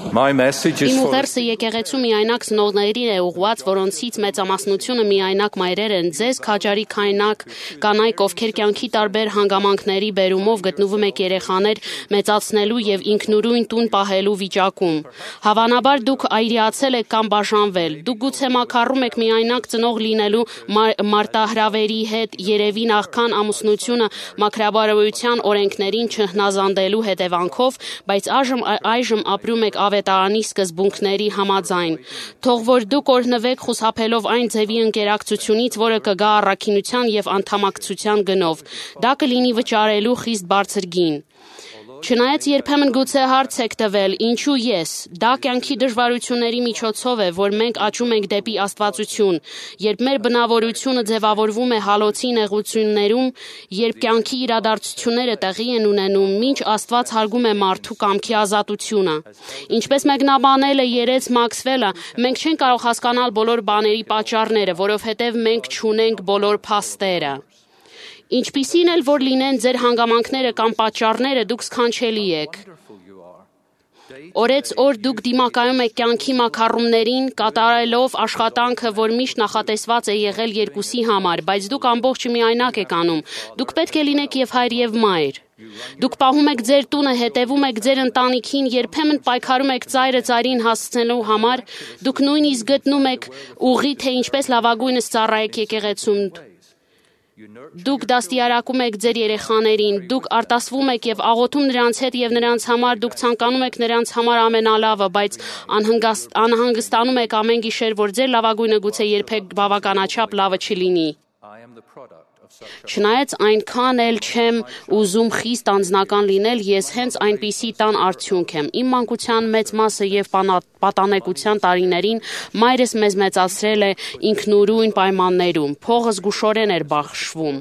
Իմ ուղերձը եկեղեցու միայնակ ծնողներին է ուղղված, որոնցից մեծամասնությունը միայնակ մայրեր են, ձեզ քաջարի կանայք, ովքեր կյանքի տարբեր հանգամանքների բերումով գտնվում եք երեխաներ մեծացնելու եւ ինքնուրույն տուն պահելու վիճակում։ Հավանաբար դուք այրիացել եք կամ բաժանվել։ Դուք գուցե մաքարում եք միայնակ ծնող լինելու մարտահրավերի հետ, երևի նախքան ամուսնությունը մաքրաբարոյության օրենքներին չհնազանդելու հետևանքով, բայց այժմ ապրում եք ավետարանի սկզբունքների համաձայն։ Թող որ դուք օրհնվեք խուսափելով այն ձևի ընկերակցությունից, որը կգա առաքինության եւ անդամակցության գնով։ Դա կլինի վճարելու խիստ բարձր գին։ Չնայած երբեմն գուցե հարց եք տվել, ինչու ես, դա կյանքի դժվարությունների միջոցով է, որ մենք աճում ենք դեպի աստվածություն, երբ մեր բնավորությունը ձևավորվում է հալոցի նեղություններում, երբ կյանքի իրադարձությունները տեղի են ունենում, մինչ Աստված հարգում է մարդու կամքի ազատությունը։ Ինչպես մեկնաբանել է երեց Մաքսվելը, մենք չենք կարող հասկանալ բոլոր բաների պատճառները, որովհետև մենք չունենք բոլոր փաստերը։ Ինչպիսին էլ որ լինեն ձեր հանգամանքները կամ պատճառները, դուք սքանչելի եք։ Օրեց օր դուք դիմակայում եք կյանքի մաքարումներին, կատարելով աշխատանքը, որ միշտ նախատեսված է եղել երկուսի համար, բայց դուք ամբողջ միայնակ եք անում։ Դուք պետք է լինեք եւ հայր եւ մայր։ Դուք պահում եք ձեր տունը, հետևում եք ձեր ընտանիքին, երբեմն պայքարում եք ծայրը ծայրին հասցնելու համար, դուք նույնիսկ գտնում եք ուղի, թե ինչպես լավագույնս ծառայեք եկեղեցում։ Դուք դաստիարակում եք ձեր երեխաներին, դուք արտասվում եք եւ աղոթում նրանց հետ եւ նրանց համար, դուք ցանկանում եք նրանց համար ամենալավը, բայց անհանգստանում եք ամեն գիշեր, որ ձեր լավագույնը գուցե երբեք բավականաչափ լավը չլինի։ Չնայած այնքան էլ չեմ ուզում խիստ անձնական լինել, ես հենց այնպիսի տան արդյունք եմ։ Իմ մանկության մեծ մասը եւ պատանեկության տարիներին մայրս մեզ մեծացրել է ինքնուրույն պայմաններում, փողը զգուշորեն էր բաշխվում։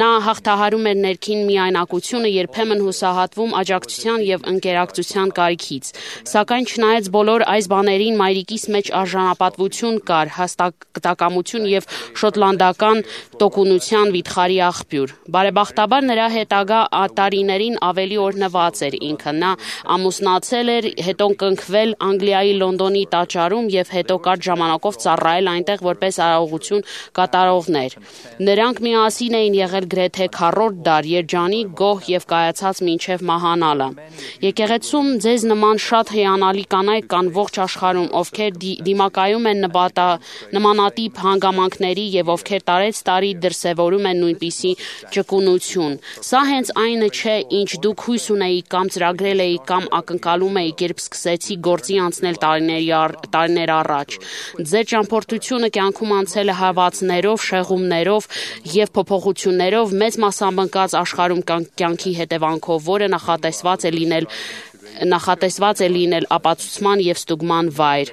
Նա հաղթահարում էր ներքին միայնակությունը, երբեմն հուսահատվում աջակցության եւ ընկերակցության կարիքից։ Սակայն չնայած բոլոր այս բաներին մայրիկիս մեջ արժանապատվություն կար, հաստատակամություն եւ շոտլանդական տոկունության վիթխարի աղբյուր։ Բարեբախտաբար նրա հետագա տարիներին ավելի օրհնված էր ինքը։ Նա ամուսնացել էր, հետո կնքվել Անգլիայի Լոնդոնի տաճարում եւ հետո կարճ ժամանակով ծառայել այնտեղ որպես արարողություն կատարողներ։ Նրանք միասին էին եղել գրեթե քառորդ դար, երջանիկ, գոհ եւ կայացած մինչեւ մահանալը։ Եկեղեցում ձեզ նման շատ հիանալի կանայք կան ողջ աշխարհում, ովքեր դիմակայում են նմանատիպ հանգամանքների եւ ովքեր տարեց տարի դրսեւորում են նույնպիսի ճկունություն։ Սա հենց այնը չէ, ինչ դուք հույս ունեիք կամ ծրագրել էիք կամ ակնկալում էիք, երբ սկսեցիք գործի անցնել տարիներ առաջ։ Ձեր ճամփորդությունը կյանքում անցել է հավացներով, շեղումներով եւ փոփոխություններով, մեծ մասամբ աշխարհում կյանքի հետևանքով, որը նախատեսված է լինել ապացուցման եւ ստուգման վայր։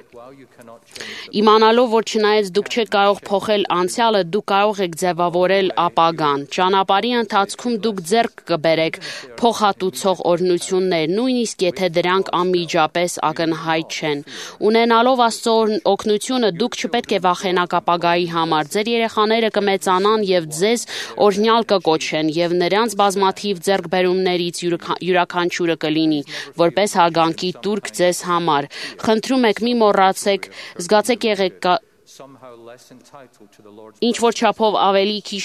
Իմանալով, որ չնայած դուք չեք կարող փոխել անցյալը, դուք կարող եք ձևավորել ապագան։ Ճանապարհի ընթացքում դուք ձեռք կբերեք փոխհատուցող օրհնություններ, նույնիսկ եթե դրանք անմիջապես ակնհայտ չեն։ Ունենալով Աստծո օգնությունը, դուք չպետք է վախենաք ապագայի համար։ Ձեր երեխաները կմեծանան եւ ձեզ օրհնյալ կկոչեն եւ նրանց բազմաթիվ ձեռքբերումներից յուրաքանչյուրը կլինի որպես հարգանքի տուրք ձեզ համար։ Խնդրում եք, մի մոռացեք, զգացեք եղեք ինչ որ չափով ավելի քիչ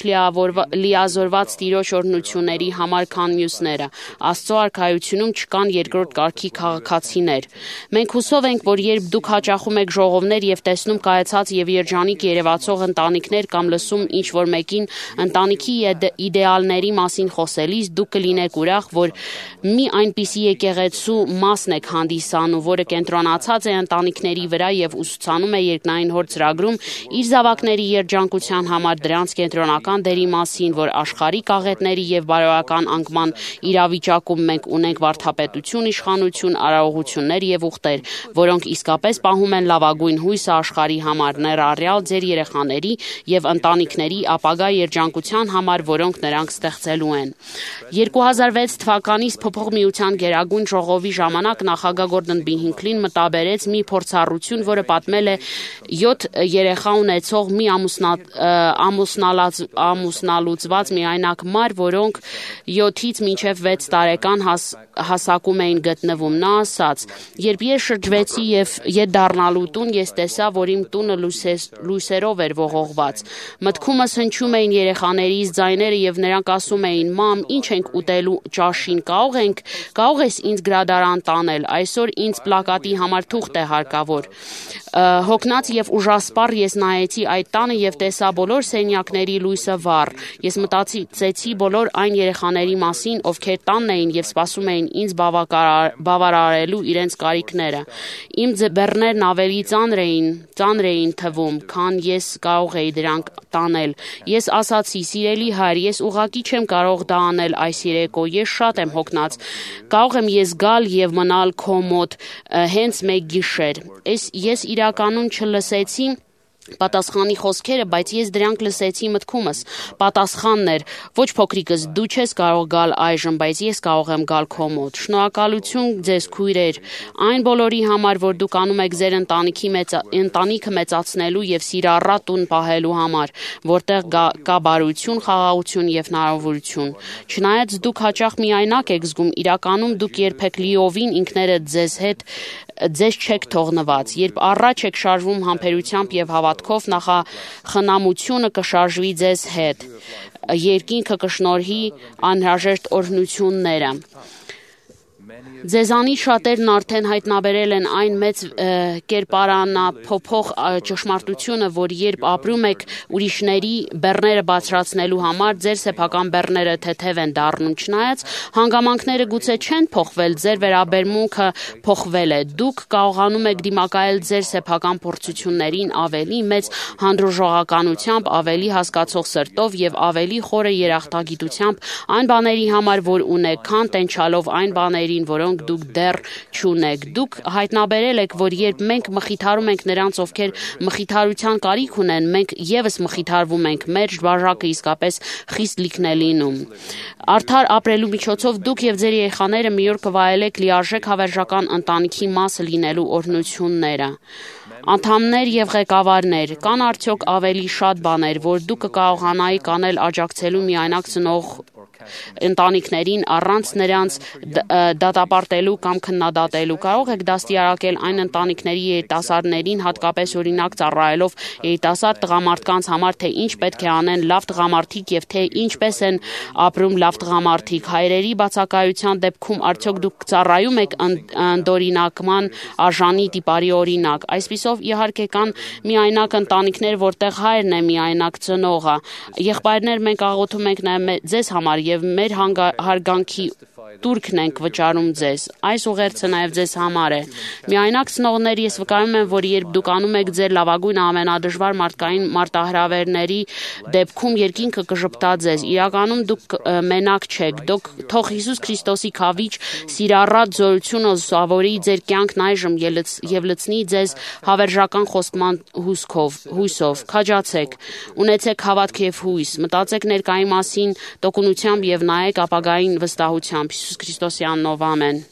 լիազորված տիրոջ օրհնությունների համար, քան մյուսները։ Աստծո արքայությունում չկան երկրորդ կարգի քաղաքացիներ։ Մենք հուսով ենք, որ երբ դուք հաճախում եք ժողովներ եւ տեսնում կայացած եւ երջանիկ երևացող ընտանիքներ կամ լսում ինչ որ մեկին ընտանիքի իդեալների մասին խոսելիս, դուք կլինեք ուրախ, որ մի այնպիսի եկեղեցու մասն եք հանդիսանում, որը կենտրոնացած է ընտանիքների վրա եւ ուսուցանում է երկնային հոր ծրագրում իր զավակների երջանկության համար դրանց կենտրոնական դերի մասին, որ աշխարհիկ աղետների եւ բարոյական անկման իրավիճակում մենք ունենք վարդապետություն, իշխանություն, արարողություններ եւ ուխտեր, որոնք իսկապես պահում են լավագույն հույսը աշխարհի համար, ներառյալ ձեր երեխաների եւ ընտանիքների ապագա երջանկության համար, որոնք նրանք ստեղծելու են։ 2006 թվականից Փոփոխ միության գերագույն ժողովի ժամանակ նախագահ Գորդոն B. Հինքլին մտաբերեց մի փորձառություն, որը պատմել է 7 երեխա ունեցող մի ամուսնալուծված միայնակ մայր, որոնք 7-ից մինչև 6 տարեկան հասակում էին գտնվում։ Նա ասաց. «Երբ ես շրջվեցի եւ ետ դառնալու տուն, ես տեսա, որ իմ տունը լույսերով էր ողողված։ Մտքումս հնչում էին երեխաներից ձայները եւ նրանք ասում էին. «Մամ, ինչ ենք ուտելու ճաշին, կարող ես ինձ գրադարան տանել, այսօր ինձ պլակատի համար թուղթ է հարկավոր»։ Հոգնած եւ ուժասպառ ես նայեցի այդ տանը եւ տեսա բոլոր սենյակների լույսը վառ։ Ես մտածեցի բոլոր այն երեխաների մասին, ովքեր տանն էին եւ սպասում էին ինձ բավարարելու իրենց կարիքները։ Իմ բեռներն ավելի ծանր էին թվում, քան ես կարող էի դրանք տանել։ Ես ասացի. «Սիրելի հայր, ես ուղղակի չեմ կարող դա անել այս երեկո, ես շատ եմ հոգնած։ Կարող եմ ես գալ եւ մնալ քո մոտ հենց մեկ գիշեր»։ Ես իրականում չլսեցի պատասխանի խոսքերը, բայց ես դրանք լսեցի մտքումս։ Պատասխանն էր. «Ոչ փոքրիկս, դու չես կարող գալ այժմ, բայց ես կարող եմ գալ քո մոտ»։ Շնորհակալություն ձեզ քույրեր այն բոլորի համար, որ դուք անում եք ձեր ընտանիքը մեծացնելու եւ սիրառատ տուն պահելու համար, որտեղ կա բարություն, խաղաղություն եւ հնարավորություն։ Չնայած դուք հաճախ միայնակ եք զգում, իրականում դուք երբեք լիովին ինքներդ ձեզ չեք թողնված։ Երբ առաջ եք շարժվում համբերությամբ եւ հավատքով, նախախնամությունը կշարժվի ձեզ հետ։ Երկինքը կշնորհի անհրաժեշտ օրհնությունները։ Ձեզանից շատերն արդեն հայտնաբերել են այն մեծ կերպարանափոխ ճշմարտությունը, որ երբ ապրում եք ուրիշների բեռները բարձրացնելու համար, ձեր սեփական բեռները թեթև են դառնում։ Չնայած հանգամանքները գուցե չեն փոխվել, ձեր վերաբերմունքը փոխվել է։ Դուք կարողանում եք դիմակայել ձեր սեփական փորձություններին ավելի մեծ հանդուրժողականությամբ, ավելի հասկացող սրտով եւ ավելի խորը երախտագիտությամբ այն բաների համար, որ ունեք, քան տենչալով այն բաներին, որոնք դուք դեռ չունեք։ Դուք հայտնաբերել եք, որ երբ մենք մխիթարում ենք նրանց, ովքեր մխիթարության կարիք ունեն, մենք եւս մխիթարվում ենք, մեր բաժակը իսկապես խիստ լիքն է լինում։ Արդար ապրելու միջոցով դուք եւ ձեր երեխաները մի օր կվայելեք լիարժեք հավերժական ընտանիքի մասը լինելու օրհնությունները։ Անդամներ եւ ղեկավարներ, կան արդյոք ավելի շատ բաներ, որ դուք կկարողանայիք անել աջակցելու միայնակ ծնող ընտանիքներին առանց նրանց դատապարտելու կամ քննադատելու։ Կարող եք դաստիարակել այն ընտանիքների երիտասարդներին, հատկապես օրինակ ծառայելով երիտասարդ տղամարդկանց համար, թե ինչ պետք է անեն լավ տղամարդիկ եւ թե ինչպես են ապրում լավ տղամարդիկ։ Հայրերի բացակայության դեպքում արդյոք դուք ծառայում եք ընդօրինակման արժանի տիպարի օրինակ։ Այսպիսով իհարկե կան միայնակ ընտանիքներ, որտեղ հայրն է միայնակ ծնողը։ Եղբայրներ, մենք աղոթում ենք նաեւ ձեզ համար եւ մեր հարգանքի տուրքն ենք վճարում ձեզ։ Այս ուղերձը նաև ձեզ համար է։ Միայնակ ծնողներ, ես վկայում եմ, որ երբ դուք անում եք ձեր լավագույնը ամենադժվար մարդկային մարտահրավերների դեպքում, երկինքը կժպտա ձեզ։ Իրականում դուք մենակ չեք։ Թող Հիսուս Քրիստոսի քավիճ սիրառատ զորությունը զավորի ձեր կյանքն այժմ եւ լցնի ձեզ հավերժական խոստման հույսով։ Քաջացեք, ունեցեք հավատք եւ հույս, մտածեք ներկայի մասին տոկունությամբ եւ նայեք ապագային վստահությամբ։ Հիսուս Քրիստոսի անունով ամեն։